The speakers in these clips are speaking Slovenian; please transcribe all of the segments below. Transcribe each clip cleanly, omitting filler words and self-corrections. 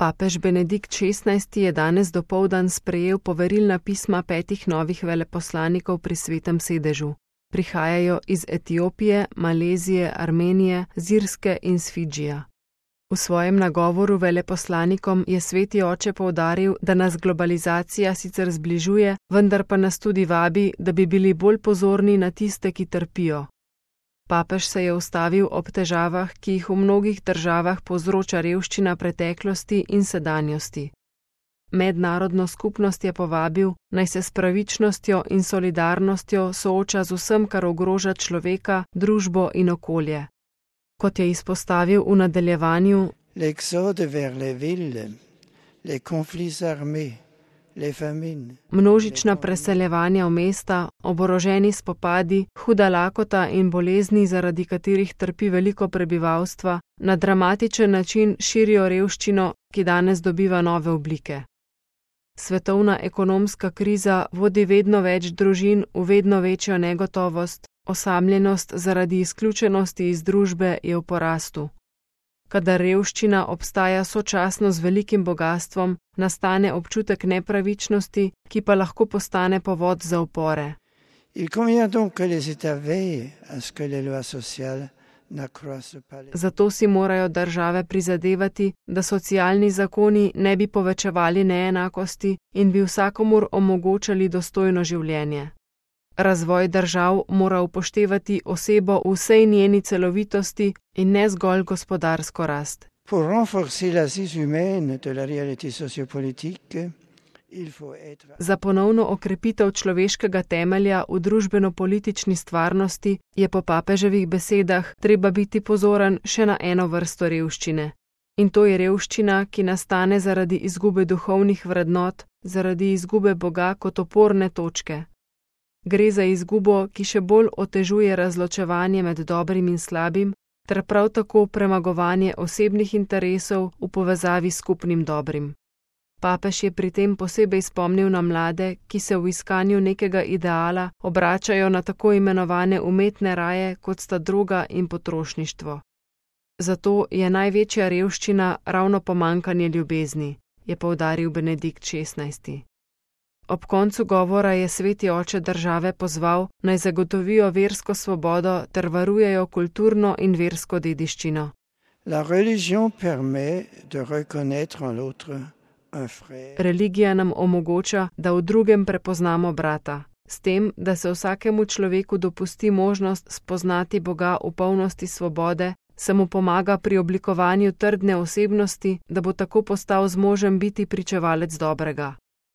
Papež Benedikt XVI je danes dopoldan sprejel poverilna pisma 5 novih veleposlanikov pri Svetem sedežu. Prihajajo iz Etiopije, Malezije, Armenije, z Irske in s Fidžija. V svojem nagovoru veleposlanikom je Sveti oče poudaril, da nas globalizacija sicer zbližuje, vendar pa nas tudi vabi, da bi bili bolj pozorni na tiste, ki trpijo. Papež se je ustavil ob težavah, ki jih v mnogih državah povzroča revščina preteklosti in sedanjosti. Mednarodno skupnost je povabil, naj se s pravičnostjo in solidarnostjo sooča z vsem, kar ogroža človeka, družbo in okolje. Kot je izpostavil v nadaljevanju, množična preseljevanja v mesta, oboroženi spopadi, huda lakota in bolezni, zaradi katerih trpi veliko prebivalstva, na dramatičen način širijo revščino, ki danes dobiva nove oblike. Svetovna ekonomska kriza vodi vedno več družin v vedno večjo negotovost, osamljenost zaradi izključenosti iz družbe je v porastu. Kadar revščina obstaja sočasno z velikim bogastvom, nastane občutek nepravičnosti, ki pa lahko postane povod za upore. Zato si morajo države prizadevati, da socialni zakoni ne bi povečevali neenakosti in bi vsakomur omogočali dostojno življenje. Razvoj držav mora upoštevati osebo v vsej njeni celovitosti in ne zgolj gospodarsko rast. Za ponovno okrepitev človeškega temelja v družbeno-politični stvarnosti je po papeževih besedah treba biti pozoren še na eno vrsto revščine. In to je revščina, ki nastane zaradi izgube duhovnih vrednot, zaradi izgube Boga kot oporne točke. Gre za izgubo, ki še bolj otežuje razločevanje med dobrim in slabim, ter prav tako premagovanje osebnih interesov v povezavi s skupnim dobrim. Papež je pri tem posebej spomnil na mlade, ki se v iskanju nekega ideala obračajo na tako imenovane umetne raje, kot sta droga in potrošništvo. Zato je največja revščina ravno pomanjkanje ljubezni, je poudaril Benedikt XVI. Ob koncu govora je Sveti oče države pozval, naj zagotovijo versko svobodo ter varujejo kulturno in versko dediščino. Religija nam omogoča, da v drugem prepoznamo brata. S tem, da se vsakemu človeku dopusti možnost spoznati Boga v polnosti svobode, se mu pomaga pri oblikovanju trdne osebnosti, da bo tako postal zmožen biti pričevalec dobrega.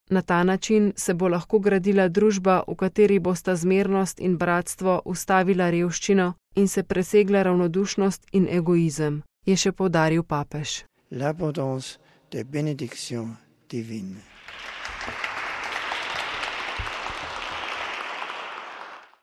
Na ta način se bo lahko gradila družba, v kateri bosta zmernost in bratstvo ustavila revščino in se presegla ravnodušnost in egoizem, je še poudaril papež. L'abondance des bénédictions divines.